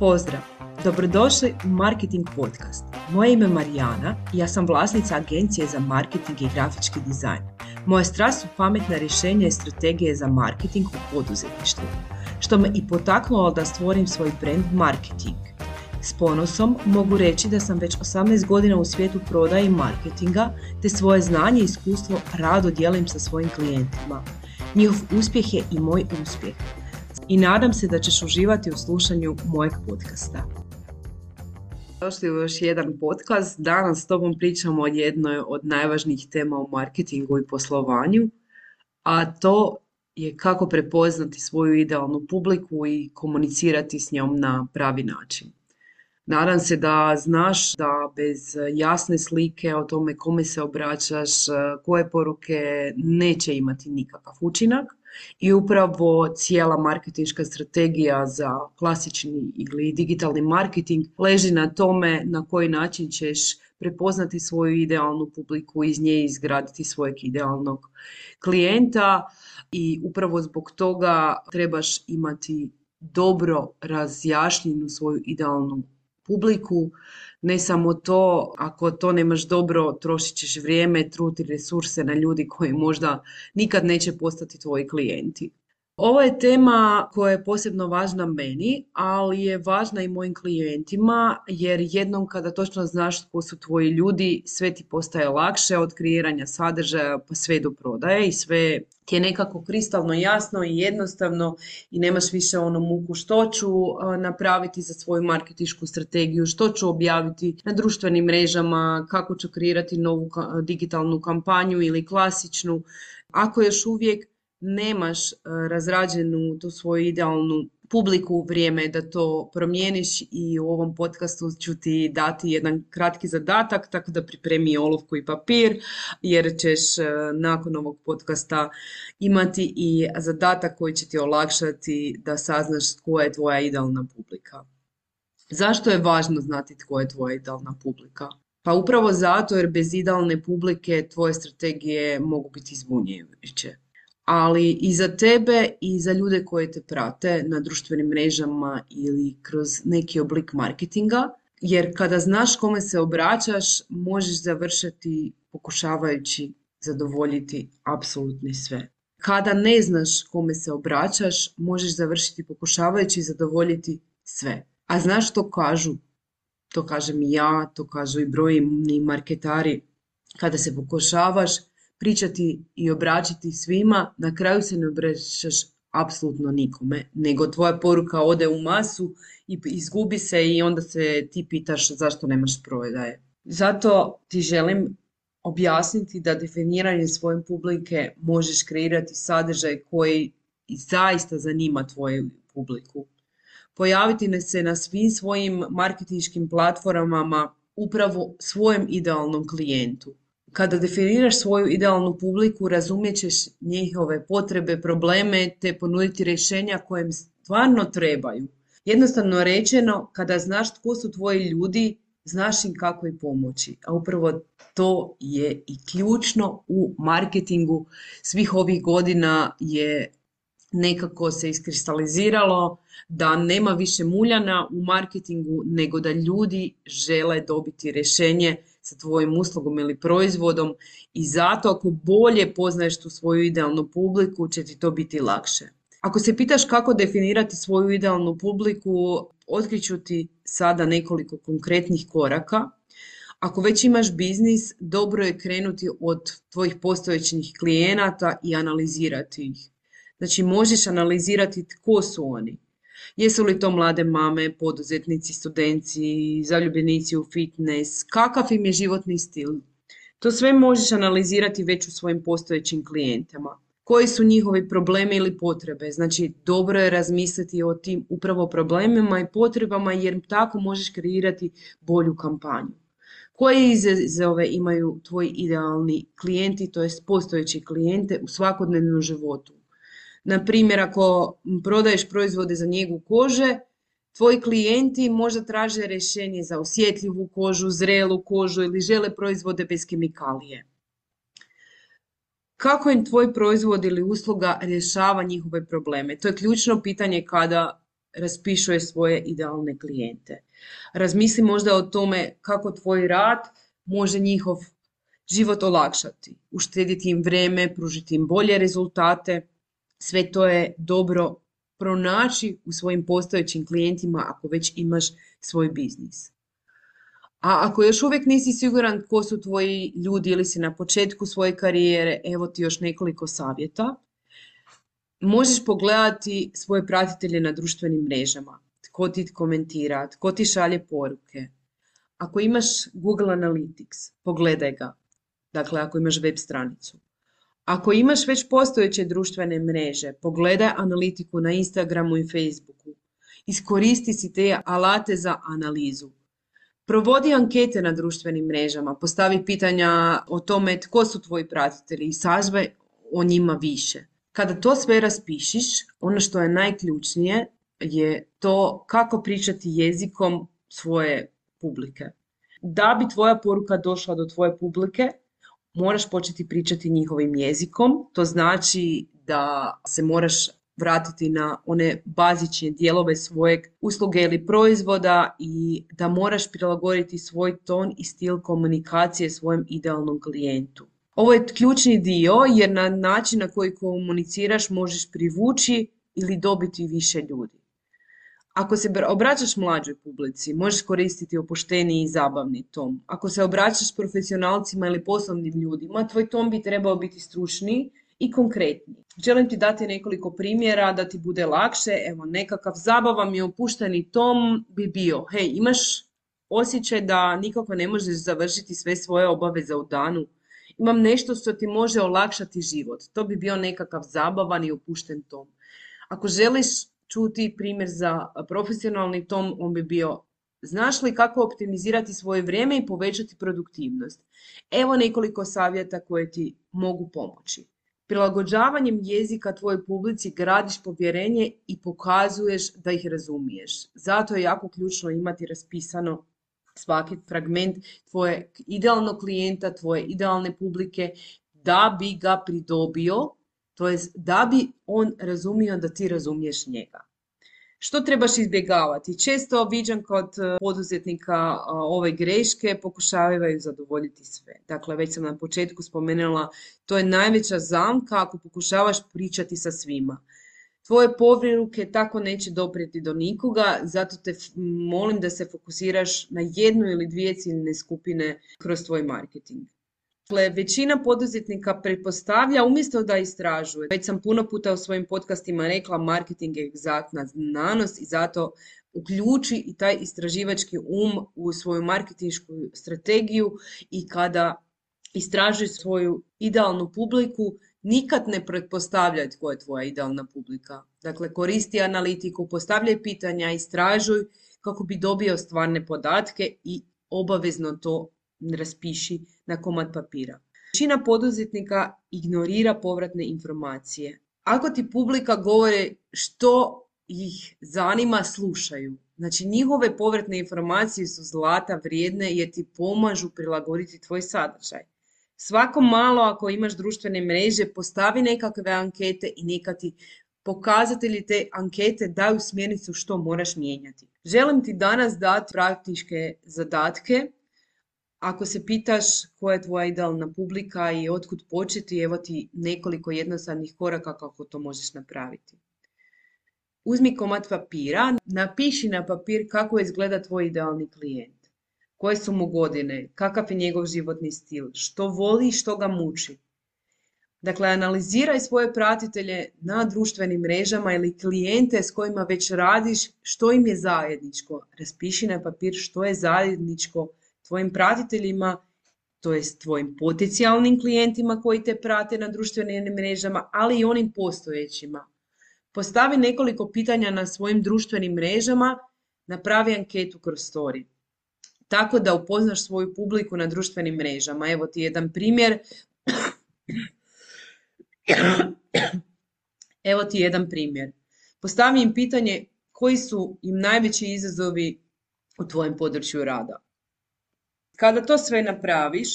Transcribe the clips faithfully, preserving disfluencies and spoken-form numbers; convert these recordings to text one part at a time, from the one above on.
Pozdrav! Dobrodošli u Marketing Podcast. Moje ime je Marijana i ja sam vlasnica agencije za marketing i grafički dizajn. Moja strast su pametna rješenja i strategije za marketing u poduzetništvu, što me i potaknulo da stvorim svoj brand Marketing. S ponosom mogu reći da sam već osamnaest godina u svijetu prodaje i marketinga, te svoje znanje i iskustvo rado dijelim sa svojim klijentima. Njihov uspjeh je i moj uspjeh. I nadam se da ćeš uživati u slušanju mojeg podcasta. Došli u još jedan podcast. Danas s tobom pričamo o jednoj od najvažnijih tema u marketingu i poslovanju, a to je kako prepoznati svoju idealnu publiku i komunicirati s njom na pravi način. Nadam se da znaš da bez jasne slike o tome kome se obraćaš, koje poruke, neće imati nikakav učinak. I upravo cijela marketinška strategija za klasični ili digitalni marketing leži na tome na koji način ćeš prepoznati svoju idealnu publiku, iz nje izgraditi svojeg idealnog klijenta i upravo zbog toga trebaš imati dobro razjašnjenu svoju idealnu publiku. Ne samo to, ako to nemaš dobro, trošit ćeš vrijeme, trud i resurse na ljudi koji možda nikad neće postati tvoji klijenti. Ovo je tema koja je posebno važna meni, ali je važna i mojim klijentima, jer jednom kada točno znaš tko su tvoji ljudi, sve ti postaje lakše, od kreiranja sadržaja pa sve do prodaje i sve ti je nekako kristalno jasno i jednostavno i nemaš više onu muku što ću napraviti za svoju marketinšku strategiju, što ću objaviti na društvenim mrežama, kako ću kreirati novu digitalnu kampanju ili klasičnu. Ako još uvijek nemaš razrađenu tu svoju idealnu publiku, vrijeme je da to promijeniš i u ovom podcastu ću ti dati jedan kratki zadatak, tako da pripremi olovku i papir, jer ćeš nakon ovog podcasta imati i zadatak koji će ti olakšati da saznaš tko je tvoja idealna publika. Zašto je važno znati tko je tvoja idealna publika? Pa upravo zato jer bez idealne publike tvoje strategije mogu biti zbunjujuće. Ali i za tebe i za ljude koji te prate na društvenim mrežama ili kroz neki oblik marketinga, jer kada znaš kome se obraćaš, možeš završiti pokušavajući zadovoljiti apsolutno sve. Kada ne znaš kome se obraćaš, možeš završiti pokušavajući zadovoljiti sve. A znaš što kažu? To kažem i ja, to kažu i brojni marketari. Kada se pokušavaš pričati i obraćati svima, na kraju se ne obraćaš apsolutno nikome, nego tvoja poruka ode u masu i izgubi se i onda se ti pitaš zašto nemaš prodaje. Zato ti želim objasniti da definiranjem svoje publike možeš kreirati sadržaj koji zaista zanima tvoju publiku. Pojaviti se na svim svojim marketinškim platformama upravo svojem idealnom klijentu. Kada definiraš svoju idealnu publiku, razumjet ćeš njihove potrebe, probleme, te ponuditi rješenja koje im stvarno trebaju. Jednostavno rečeno, kada znaš tko su tvoji ljudi, znaš im kako i pomoći. A upravo to je i ključno u marketingu svih ovih godina je nekako se iskristaliziralo da nema više muljana u marketingu, nego da ljudi žele dobiti rješenje sa tvojim uslugom ili proizvodom i zato ako bolje poznaješ tu svoju idealnu publiku će ti to biti lakše. Ako se pitaš kako definirati svoju idealnu publiku, otkriću ti sada nekoliko konkretnih koraka. Ako već imaš biznis, dobro je krenuti od tvojih postojećih klijenata i analizirati ih. Znači možeš analizirati tko su oni. Jesu li to mlade mame, poduzetnici, studenti, zaljubljenici u fitness, kakav im je životni stil. To sve možeš analizirati već u svojim postojećim klijentima. Koji su njihovi problemi ili potrebe? Znači dobro je razmisliti o tim upravo problemima i potrebama jer tako možeš kreirati bolju kampanju. Koje izazove imaju tvoji idealni klijenti, to jest postojeći klijente u svakodnevnom životu? Na primjer, ako prodaješ proizvode za njegu kože, tvoji klijenti možda traže rješenje za osjetljivu kožu, zrelu kožu ili žele proizvode bez kemikalije. Kako im tvoj proizvod ili usluga rješava njihove probleme? To je ključno pitanje kada raspišuje svoje idealne klijente. Razmisli možda o tome kako tvoj rad može njihov život olakšati, uštediti im vrijeme, pružiti im bolje rezultate. Sve to je dobro pronaći u svojim postojećim klijentima ako već imaš svoj biznis. A ako još uvijek nisi siguran tko su tvoji ljudi ili si na početku svoje karijere, evo ti još nekoliko savjeta. Možeš pogledati svoje pratitelje na društvenim mrežama, tko ti komentira, tko ti šalje poruke. Ako imaš Google Analytics, pogledaj ga, dakle ako imaš web stranicu. Ako imaš već postojeće društvene mreže, pogledaj analitiku na Instagramu i Facebooku. Iskoristi si te alate za analizu. Provodi ankete na društvenim mrežama, postavi pitanja o tome tko su tvoji pratitelji i sažvaj o njima više. Kada to sve raspišiš, ono što je najključnije je to kako pričati jezikom svoje publike. Da bi tvoja poruka došla do tvoje publike, moraš početi pričati njihovim jezikom. To znači da se moraš vratiti na one bazične dijelove svojeg usluge ili proizvoda i da moraš prilagoditi svoj ton i stil komunikacije svojem idealnom klijentu. Ovo je ključni dio jer na način na koji komuniciraš možeš privući ili dobiti više ljudi. Ako se obraćaš mlađoj publici, možeš koristiti opušteni i zabavni ton. Ako se obraćaš profesionalcima ili poslovnim ljudima, tvoj ton bi trebao biti stručniji i konkretniji. Želim ti dati nekoliko primjera da ti bude lakše. Evo, nekakav zabavan i opušteni ton bi bio: hej, imaš osjećaj da nikako ne možeš završiti sve svoje obaveze u danu? Imam nešto što ti može olakšati život. To bi bio nekakav zabavan i opušten ton. Ako želiš čuti primjer za profesionalni ton, on bi bio: znaš li kako optimizirati svoje vrijeme i povećati produktivnost? Evo nekoliko savjeta koje ti mogu pomoći. Prilagođavanjem jezika tvojoj publici gradiš povjerenje i pokazuješ da ih razumiješ. Zato je jako ključno imati raspisano svaki fragment tvojeg idealnog klijenta, tvoje idealne publike, da bi ga pridobio, to jest da bi on razumio da ti razumiješ njega. Što trebaš izbjegavati? Često viđam kod poduzetnika ove greške, pokušavaju zadovoljiti sve. Dakle, već sam na početku spomenula, to je najveća zamka ako pokušavaš pričati sa svima. Tvoje poruke tako neće doprijeti do nikoga, zato te molim da se fokusiraš na jednu ili dvije ciljne skupine kroz tvoj marketing. Dakle, većina poduzetnika pretpostavlja umjesto da istražuje. Već sam puno puta u svojim podcastima rekla, marketing je egzaktna znanost i zato uključi i taj istraživački um u svoju marketinšku strategiju i kada istražuješ svoju idealnu publiku, nikad ne pretpostavljaj tko je tvoja idealna publika. Dakle, koristi analitiku, postavljaj pitanja, istražuj kako bi dobio stvarne podatke i obavezno to raspiši na komad papira. Većina poduzetnika ignorira povratne informacije. Ako ti publika govore što ih zanima, slušaju. Znači, njihove povratne informacije su zlata vrijedne jer ti pomažu prilagoditi tvoj sadržaj. Svako malo, ako imaš društvene mreže, postavi nekakve ankete i neka ti pokazatelji te ankete daju smjernicu što moraš mijenjati. Želim ti danas dati praktičke zadatke. Ako se pitaš koja je tvoja idealna publika i otkud početi, evo ti nekoliko jednostavnih koraka kako to možeš napraviti. Uzmi komad papira, napiši na papir kako izgleda tvoj idealni klijent. Koje su mu godine, kakav je njegov životni stil, što voli i što ga muči. Dakle, analiziraj svoje pratitelje na društvenim mrežama ili klijente s kojima već radiš, što im je zajedničko. Raspiši na papir što je zajedničko tvojim pratiteljima, to jest tvojim potencijalnim klijentima koji te prate na društvenim mrežama, ali i onim postojećima. Postavi nekoliko pitanja na svojim društvenim mrežama, napravi anketu kroz story. Tako da upoznaš svoju publiku na društvenim mrežama. Evo ti jedan primjer. Evo ti jedan primjer. Postavi im pitanje koji su im najveći izazovi u tvojem području rada. Kada to sve napraviš,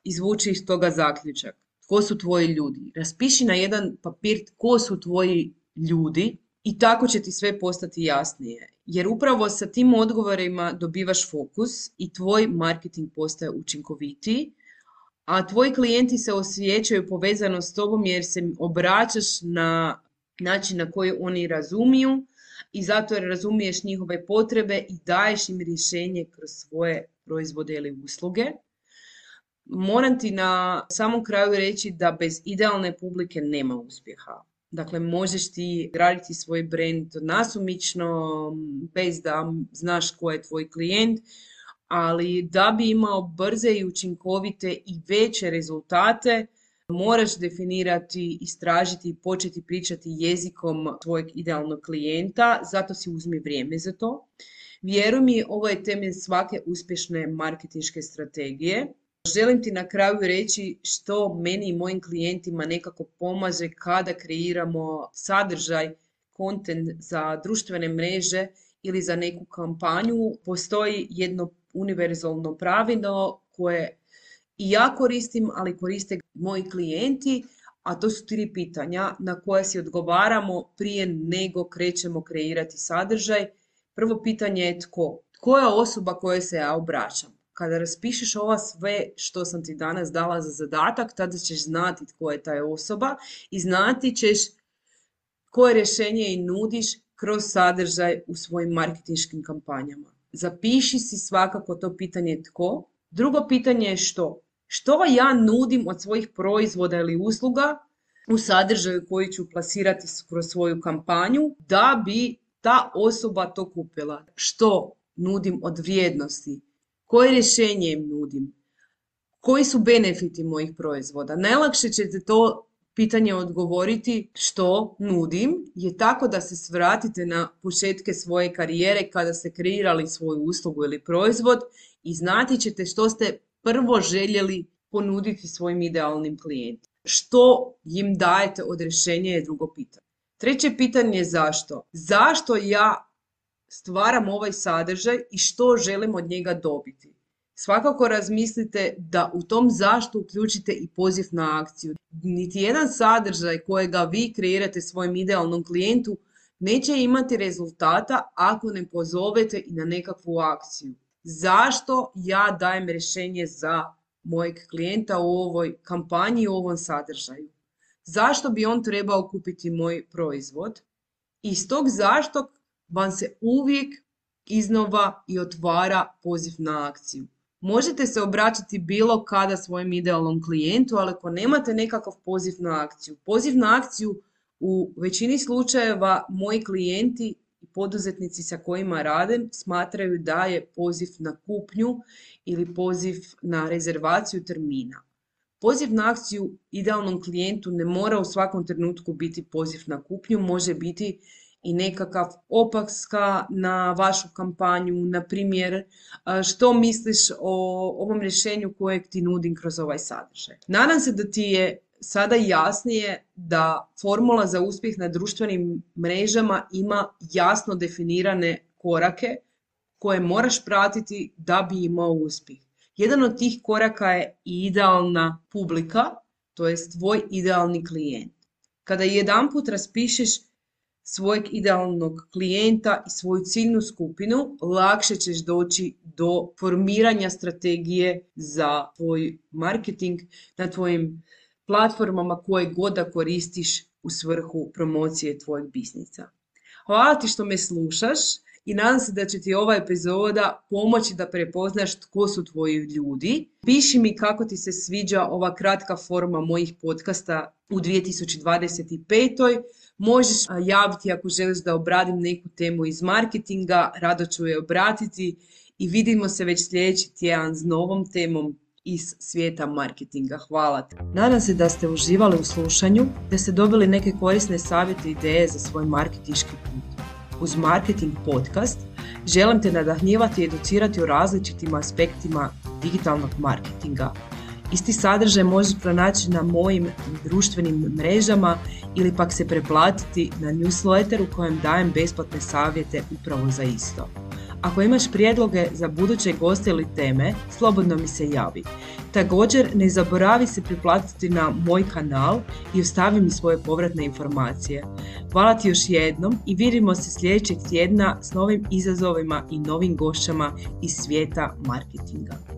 izvuči iz toga zaključak. Tko su tvoji ljudi? Raspiši na jedan papir tko su tvoji ljudi I tako će ti sve postati jasnije. Jer upravo sa tim odgovorima dobivaš fokus i tvoj marketing postaje učinkovitiji, a tvoji klijenti se osjećaju povezano s tobom jer se obraćaš na način na koji oni razumiju i zato jer razumiješ njihove potrebe i daješ im rješenje kroz svoje proizvode ili usluge. Moram ti na samom kraju reći da bez idealne publike nema uspjeha. Dakle, možeš ti graditi svoj brand nasumično, bez da znaš ko je tvoj klijent, ali da bi imao brze i učinkovite i veće rezultate, moraš definirati, istražiti i početi pričati jezikom tvojeg idealnog klijenta, zato si uzmi vrijeme za to. Vjeruj mi, ovo je temelj svake uspješne marketinške strategije. Želim ti na kraju reći što meni i mojim klijentima nekako pomaže kada kreiramo sadržaj, content za društvene mreže ili za neku kampanju. Postoji jedno univerzalno pravilo koje i ja koristim, ali koriste moji klijenti, a to su tri pitanja na koje si odgovaramo prije nego krećemo kreirati sadržaj. Prvo pitanje je tko? Tko je osoba kojoj se ja obraćam? Kada raspišeš ova sve što sam ti danas dala za zadatak, tada ćeš znati tko je ta osoba i znati ćeš koje rješenje i nudiš kroz sadržaj u svojim marketinškim kampanjama. Zapiši si svakako to pitanje tko. Drugo pitanje je što. Što ja nudim od svojih proizvoda ili usluga u sadržaju koji ću plasirati kroz svoju kampanju da bi ta osoba to kupila. Što nudim od vrijednosti? Koje rješenje im nudim? Koji su benefiti mojih proizvoda? Najlakše ćete to pitanje odgovoriti što nudim je tako da se svratite na početke svoje karijere kada ste kreirali svoju uslugu ili proizvod i znati ćete što ste prvo željeli ponuditi svojim idealnim klijentima. Što im dajete od rješenja je drugo pitanje. Treće pitanje je zašto? Zašto ja stvaram ovaj sadržaj i što želim od njega dobiti? Svakako razmislite da u tom zašto uključite i poziv na akciju. Niti jedan sadržaj kojega vi kreirate svojim idealnom klijentu neće imati rezultata ako ne pozovete i na nekakvu akciju. Zašto ja dajem rješenje za mojeg klijenta u ovoj kampanji, u ovom sadržaju? Zašto bi on trebao kupiti moj proizvod? Iz tog zašto vam se uvijek iznova i otvara poziv na akciju. Možete se obraćati bilo kada svojem idealnom klijentu, ali ako nemate nekakav poziv na akciju. Poziv na akciju u većini slučajeva moji klijenti i poduzetnici sa kojima radim smatraju da je poziv na kupnju ili poziv na rezervaciju termina. Poziv na akciju idealnom klijentu ne mora u svakom trenutku biti poziv na kupnju, može biti i nekakav opaska na vašu kampanju, na primjer što misliš o ovom rješenju kojeg ti nudim kroz ovaj sadržaj. Nadam se da ti je sada jasnije da formula za uspjeh na društvenim mrežama ima jasno definirane korake koje moraš pratiti da bi imao uspjeh. Jedan od tih koraka je i idealna publika, to jest tvoj idealni klijent. Kada jedanput raspišeš svojeg idealnog klijenta i svoju ciljnu skupinu, lakše ćeš doći do formiranja strategije za tvoj marketing na tvojim platformama koje god da koristiš u svrhu promocije tvojeg biznisa. Hvala ti što me slušaš i nadam se da će ti ova epizoda pomoći da prepoznaš tko su tvoji ljudi. Piši mi kako ti se sviđa ova kratka forma mojih podcasta u dvije tisuće dvadeset petoj. Možeš javiti ako želiš da obradim neku temu iz marketinga, rado ću je obratiti i vidimo se već sljedeći tjedan s novom temom iz svijeta marketinga. Hvala te. Nadam se da ste uživali u slušanju, da ste dobili neke korisne savjete i ideje za svoj marketinški put. Uz Marketing Podcast želim te nadahnjivati i educirati o različitim aspektima digitalnog marketinga. Isti sadržaj možeš pronaći na mojim društvenim mrežama ili pak se preplatiti na newsletter u kojem dajem besplatne savjete upravo za isto. Ako imaš prijedloge za buduće goste ili teme, slobodno mi se javi. Također, ne zaboravi se priplatiti na moj kanal i ostavi mi svoje povratne informacije. Hvala ti još jednom i vidimo se sljedećeg tjedna s novim izazovima i novim gošćama iz svijeta marketinga.